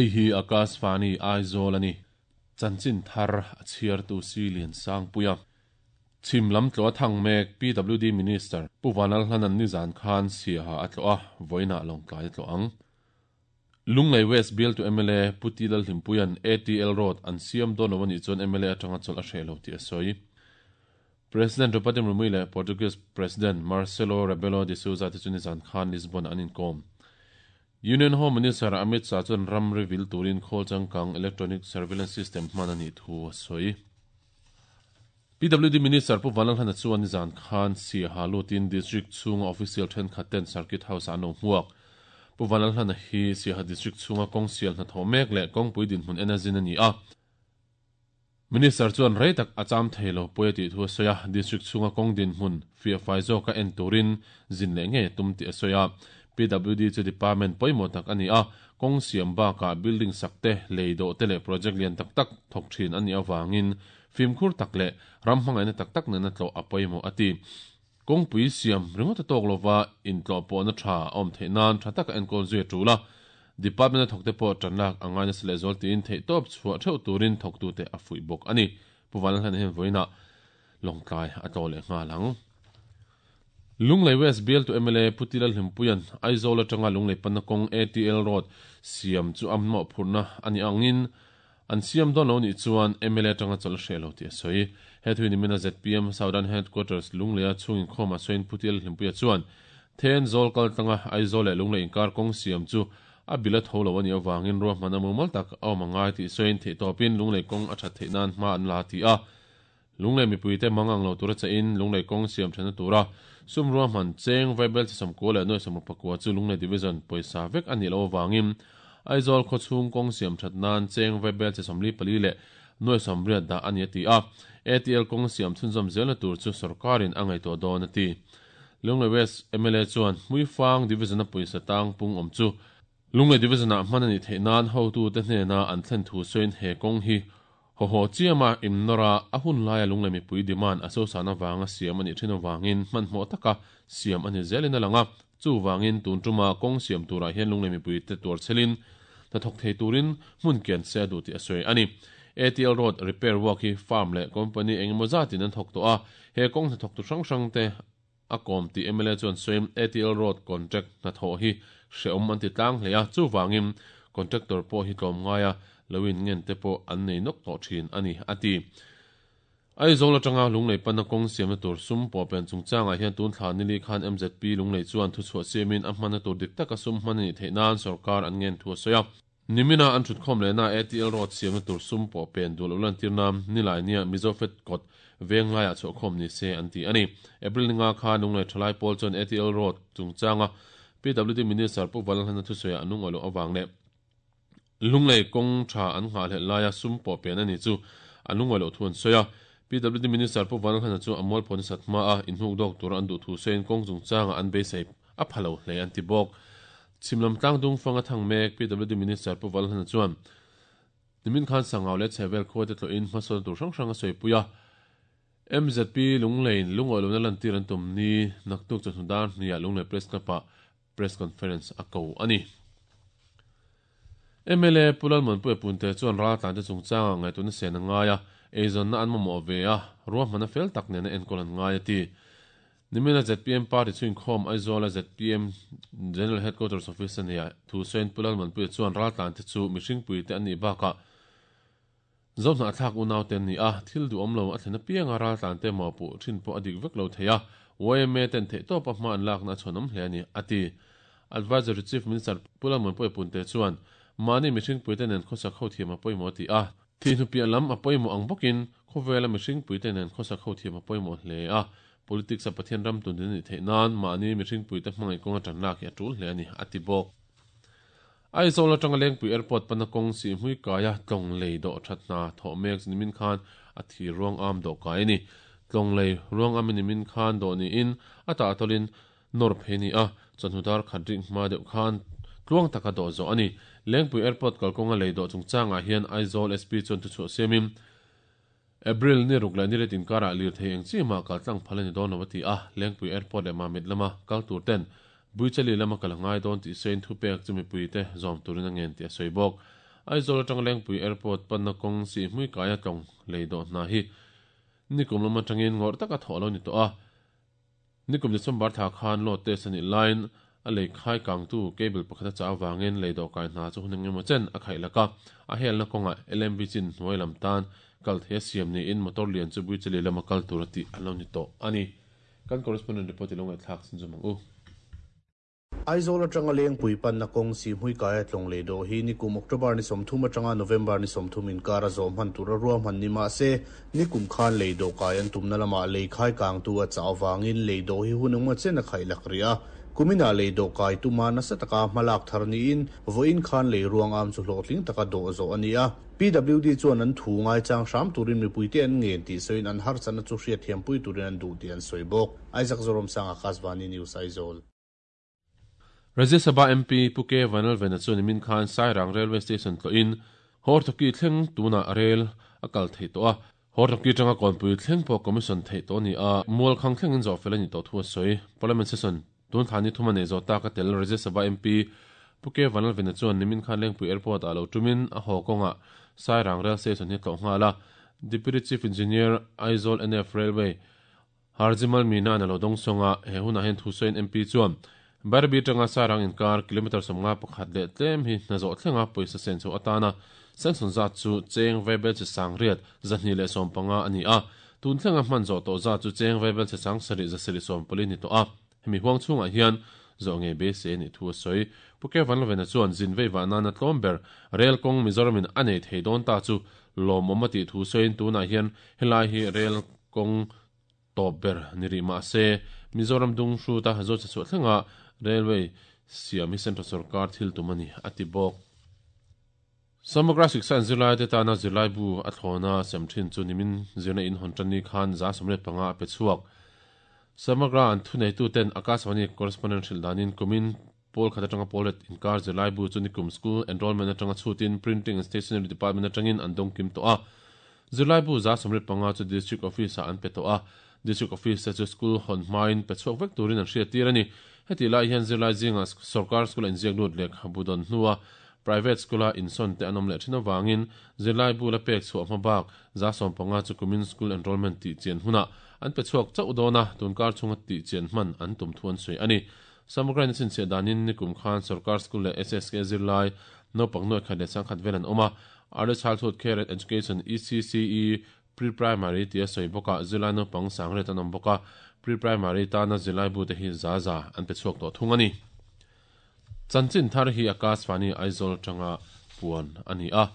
Hei hi Akashvani Aizawl a ni. Chanchin thar a chhiartu Si Liansangpuia. Chhim lam tlawh a thang mek PWD Minister Pu Vanlalhlanan nizan khan Siaha a tlawh a, vawiinah Lawngtlai a tlawh ang. Lunglei West bialtu mla Pu T Lalhlimpuia'n ATL Road an siam dawn lo a nih chuan mla atanga chawlh a hreh lo tih a sawi. President Draupadi Murmu leh Portuguese President Marcelo Rebelo de Sousa te chu nizan khan Lisbon-ah an inkawm. Union Home Minister Amit Shah chuan ramri vil turin khawl changkang electronic surveillance system hman a nih thu a sawi. PWD Minister Pu Vanlalhlana chuan nizan khan Siaha lutin District chhunga official thenkhat ten Circuit House-ah an lo hmuak. Pu Vanlalhlana hi Siaha District chhunga kawng sial hnathawh mek leh kawngpui dinhmun en a zin a ni a. Minister chuan rei tak a cham thei lo pawi a tih thu a sawi a, District chhunga kawng dinhmun fiahfai zawka en turin zin leh ngei a tum tih a sawi a. PWD chu department pawimawh tak a ni a, kawng siam bakah building sak te, lei dawh te leh project lian tak tak thawk thin a nih avangin fimkhur tak leh ram hmangaihna tak tak nena tlawh a pawimawh a ti. Kawngpui siam ringawt a tawk lova intlawh pawhna tha a awm theih nan tha taka enkawl zui a tul a, Department a thawkte pawh tan lak a ngai nasa lehzual tiin theihtawp chhuah theuh turin thawktute a fuih bawk a ni. Pu Vanlalhlana hian vawiinah Lawngtlai a tlawh leh nghal ang. Lunglei West bialtu mla Pu Tila Hlimpuia'n Aizawl atanga Lunglei panna kawng ATL Road siam chu a mawhphurhna a nih angin An siam dawn lo nih chuan mla atanga chawlh a hreh lo tih a sawi. He thu nimina zpm Southern Headquarters Lungleia chhung inkhawmah sawiin Pu Tial Hlimpuia chuan Then zawl kal tlanga Aizawl leh Lunglei inkar kawng siam chu a bil a tho lo a nih avangin ruahman a mumal tak a awm a ngai tih sawiin theihtawpin Lunglei kawng a that theih nan hma an la ti a. Lunglei mipuite mang ang lo tura chahin Lunglei kawng siam thana tura sum ruahman cheng vaibel chi 90 leh 69 chu Lunglei Division pawisa vek a nih loh avangin Aizawl khawchhung kawng siam that nan cheng vaibel chi 44 leh 80 dah a ni a ti a, ATL kawng siam chhunzawm zelna tur chu sorkarin a ngaihtuah dawn a ti. Lunglei West mla chuan Hmuifang Division-a pawisa tang pung awm chu Lunglei Division-ah hman a nih theih nan hotute hnena an thlen thu sawiin he kawng hi Hawhaw chiama innawr a, a hun laia Lunglei mipui demand a sosan avanga siam a nih thin avangin hmanhmawh taka siam a ni zelin a lang a. Chuvangin tun tuma kawng siam turah hian Lunglei mipuite tuar chhelin hnathawk thei turin hmun kian se a duh tih a sawi a ni. ATL Road repair work hi firm leh company engemaw zatin an thawk tawh a, he kawng hnathawktu hrang hrangte a kawm tih mla chuan sawiin ATL Road contract hnathawh hi hrehawm an ti tlang hle a, chuvangin contractor pawh hi tlawmngaia lo in ngen te pawh an nei nawk tawh thin a ni, a ti. Aizawl atanga Lunglei panna kawng siamna tur sum pawhpen chungchangah hian tun thla nili khan mzp Lunglei chuan thuchhuah siamin a hmanna tur dik taka sum hman a nih theih nan sorkar an ngen thu a sawi a. Nimina an thutkhawm lehna ATL Road siamna tur sum pawh pen duh loh lantirna Nilainiah Mizofet kawt veng laiah chhuahkhawm ni se an ti a ni. April ninga khan Lunglei Thalai pawl chuan ATL Road chungchanga PWD Minister Pu Vanlalhlana thusawiah an lungawi loh avang leh Lunglei kawng tha an nghahhlelh laia sum pawh pen a ni chu an lungawi loh thu an sawi a. PWD Minister Pu Vanlalhlana chu a mualphaw nasat hmaa inhnuk dawk tura an duh thu sawiin kawng chungchangah an beisei a pha lo hle an ti bawk. Chhim lam tlang dung fang a thang mek PWD Minister Pu Valhlana chuan nimin khan Sangau leh Chhehvel khuate tlawhin hmasawn tur hrang hrang a sawipui a. MZP Lungleiin lungawi lohna lantir an tum ni naktuk chawhnu dar hniah Lunglei Press Club-ah Press Conference a ko a ni. Mla Pu Lalmuanpuia Punte chuan raltlante chungchangah ngaihtuahna sen a ngai a, eizawnna an mamawh ve a, ruahmanna fel tak nena enkawl an ngai a ti. Nimina zpm party chu inkhawm Aizawla zpm General Headquarters Office a nia thu sawiin Pu Lalmanpuia chuan raltlante chu mihringpuite an nih bakah Zohnahthlak unaute an ni a, thil duhawm lo a thlen apianga raltlante mawhpuh thin pawh a dik vek lo thei a, yma ten theihtawpa hma an lakna a chhuanawm hle a ni, a ti. Advisory Chief Minister Pu Lalmanpuia Punte chuan mahni mihringpuite nen khawsak ho thiam a pawimawh a ti a. Thihnu piah lam a pawimawh ang bawkin khawvela mihringpuite nen khawsak ho thiam a pawimawh hle a, Politics a Pathian ram tun din a nih theih nan mahni mihringpuite hmangaih kawnga tan lak hi a tul hle a ni, a ti bawk. Aizawl atanga Lengpui Airport pana kawng sih hmui kaia tlawng lei dawh that hna thawh mek nimin khan a thir ruang am dawh kai a ni. Tlawng lei ruang am nimin khan dawh niin a tah tawlhin nawr phei a ni a, chawhnu dar khat rik hma deuh khan tluang taka dawh zawh a ni. Lengpui Airport kalkawnga lei dawh chungchangah hian Aizawl SP chuan thuchhuah siamin, April ni ruk leh ni riat inkarah lirthei eng chi mah kal tlang phal a ni dawn lo a ti a, Lengpui Airport leh Mamit lama kal tur ten Buichali lama kal a ngai dawn tih sawiin thupek chu mipuite zawm turin a ngen tih a sawi bawk. Aizawl atanga Lengpui Airport panna kawng Sihhmui kaia tlawng lei dawh hna hi nikum lam atangin ngawrh taka thawh a lo ni tawh a. Nikum December thla khan load test a nih laiin a lei khai kangtu cable pakhat a chah avangin lei dawh kai hna chu hun engemaw chen a khaih lak a, a helna kawngah LMV chin hnuai lam tan kal thei a siam niin motor lian chu Buichali lama kal tur a tih a lo ni tawh a ni. Kan correspondent report i lo ngaihthlak chhunzawm ang u. Aizawl atanga Lengpui panna kawng Sihhmui kaia tlawng lei dawh hi nikum October ni 30 atanga November ni 30 inkar a zawh hman tura ruahman ni mah se, nikum khan lei dawh kai an tumna lamah lei khai kangtu a chah avangin lei dawh hi hun engmaw chen a khaih lak rih a. Kuminah lei dawh kai tuma nasa taka hmalak thar niin vawiin khan lei ruang am chu hlawhtling taka dawh zawh a ni a. PWD chuan an thu ngaichang hram turin mipuite an ngen tih sawiin an harsatna chu hriatthiampui turin an duh tih an sawi bawk. Isaac Zoramsanga, Akashvani News, Aizawl. Rajya Sabha MP Pu K Vanlalvena chuan nimin khan Sairang Railway Station tlawhin Hortoki thleng tunah rel a kal theih tawh a. Hortoki atanga Kawnpui thleng pawh commission theih tawh a ni a, mual khang thlengin zawh fel a nih tawh thu a sawi. Parliament session tun thla ni thum a nei zawh tak a tel Rajya Sabha MP Pu K Vanlalvena chuan nimin khan Lengpui Airport ah lo tumin a haw kawngah Sairang Rail Station hi a tlawh nghal a. Deputy Chief Engineer Aizawl NF Railway Harjimal Meena-a'n a lo dawng sawng a, he hunah hian thusawiin MP chuan Bairabi atanga Sairang inkar kilometre 51 leh tlem hi hna zawh thlenga pawisa sen chho atana sanction zat chu cheng vaibel che sang riat 215 a ni a, tun thlenga hman zawh tawh zat chu cheng vaibel che sang sarih zasarih sawmpali ni tawh a, hemi huang chhungah hian zawh ngei beisei a nih thu a sawi. Pu Kevan Lovena chuan zin vei vah nana tlawm ber rel kawng Mizoramin a nei thei dawn ta chu lawmawm a tih thu sawiin tunah hian helai hi rel kawng tawp ber ni rih mah se, Mizoram dung hruta Zawchhe chhuah thlenga Railway siam hi Central sorkar thil tum a ni, a ti bawk. Samagra Shiksha in zirlaite tana zirlaibu a thlawna sem thin chu nimin zirna in hawn tan ni khan 75 a pe chhuak. Samagra an thuneituten Akashvani correspondent hrilh danin kumin pawl khat atanga pawl let inkar zirlaibu chu nikum school enrollment atanga chhutin Printing and Stationery Department atangin an dawng kim tawh a. Zirlaibu 75 chu District Office-ah an pe tawh a, District Office te chu school hawn hmain pe chhuak vek turin an hriattir a ni. Hetih lai hian zirlai zingah sorkar school-a inziak lut lehkhabu dawn hnua private school-a insawn te an awm leh thin avangin zirlaibu la pek chhuah hma bak 15 chu kumin school enrollment tih chian hunah an pe chhuak chauh dawn a, tunkar chhunga tih chian hman an tum thu an sawi a ni. Samagrain a chhinchhiah danin nikum khan sorkar school leh SSK zirlai naupang nuai khat leh sangkhat vel an awm a, Early Childhood Care and Education, ECCE, Pre-Primary tia sawi bawkah zirlai naupang sangriat an awm bawk a, Pre-Primary tana zirlai bute hi za za an pe chhuak tawh thung a ni. Chanchin thar hi Akashvani Aizawl atanga puan a ni a.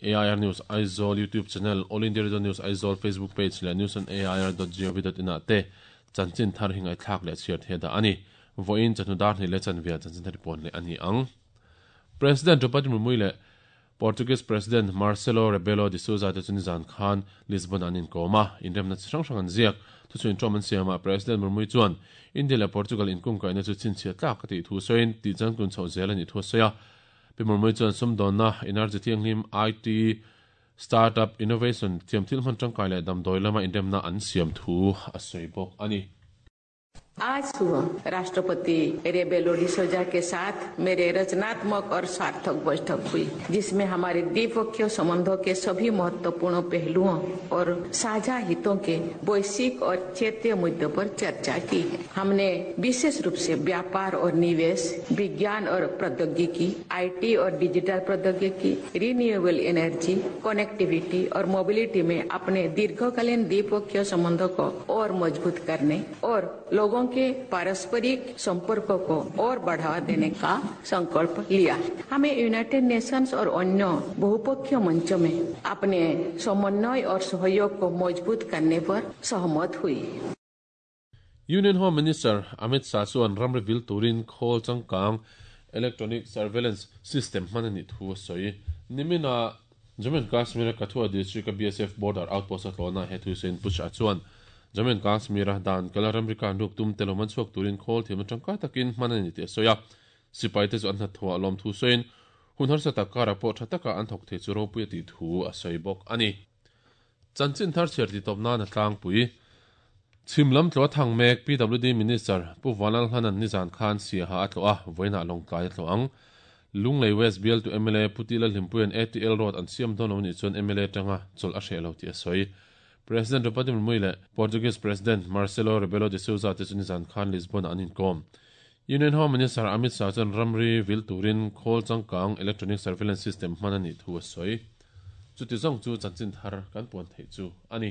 AIR News Aizawl YouTube channel, All India Radio News Aizawl Facebook page leh news on air dot gov dot in ah te chanchin thar hi ngaihthlak leh chhiar thei a dah a ni. Vawiin chawhnu dar hnih leh chanvia chanchin thar hi puan leh a ni ang. President Draupadi Murmu leh Portuguese President Marcelo Rebelo de Sousa te chu nizan khan Lisbon ah an inkawm a, inremna chi hrang hrang an ziak. Thuchhuin ṭawm an siamah President Murmu chuan India leh Portugal inkungkaihna chu chhinchhiah tlak a tih thu sawiin tih changtlun chhoh zel a nih thu a sawi a. Pi Murmu chuan sumdawnna, energy thianghlim, IT, startup, innovation, thiamthil hman ṭangkai leh damdawi lama inremna an siam thu a sawi bawk a ni. आज सुबह राष्ट्रपति रेबेलो डिसोजा के साथ मेरे रचनात्मक और सार्थक बैठक हुई, जिसमें हमारे द्विपक्षीय संबंधों के सभी महत्वपूर्ण पहलुओं और साझा हितों के वैश्विक और क्षेत्रीय मुद्दों पर चर्चा की है। हमने विशेष रूप से व्यापार और निवेश, विज्ञान और प्रौद्योगिकी, IT और डिजिटल प्रौद्योगिकी, renewable energy, connectivity और मोबिलिटी में अपने दीर्घकालीन द्विपक्षीय संबंधों को और मजबूत करने और लोगों के पारस्परिक संपर्क को और बढ़ावा देने का संकल्प लिया। हमें यूनाइटेड नेशंस और अन्य बहुपक्षीय मंचों में अपने समन्वय और सहयोग को मजबूत करने पर सहमत हुई। Union Home Minister Amit Shah chuan ramri vil turin khawl changkang electronic surveillance system hman a nih thu a sawi. Nimina Jammu and Kashmir-a Kathua district-a BSF border outpost a tlawhna he thu sawiin Pu Shah chuan Jammu and Kashmir-a dan kala ramri kan ruk tum te lo man chhuak turin khawl thiamna tangkai takin hman a ni tih a sawi a. Sipai te chu an hnathawh a lawm thu sawiin hun harsa tak karah pawh tha taka an thawk thei chu ropui a tih thu a sawi bawk a ni. Chanchin thar chhiar tih tawp nan a tlangpui. Chhim lam tlawh a thang mek PWD Minister Pu Vanlalhlanan nizan khan Siaha a tlawh a, vawiinah Lawngtlai a tlawh ang. Lunglei West bialtu mla Pu Tila Hlimpuia'n ATL Road an siam dawn lo nih chuan mla atanga chawlh a hreh lo tih a sawi. President Draupadi Murmu leh Portuguese President Marcelo Rebelo de Sousa te chu nizan khan Lisbon-ah an inkawm. Union Home Minister Amit Shah chuan ramri vil turin khawl changkang electronic surveillance system hman a nih thu a sawi. Chuti zawng chu chanchin thar kan puan theih chu a ni.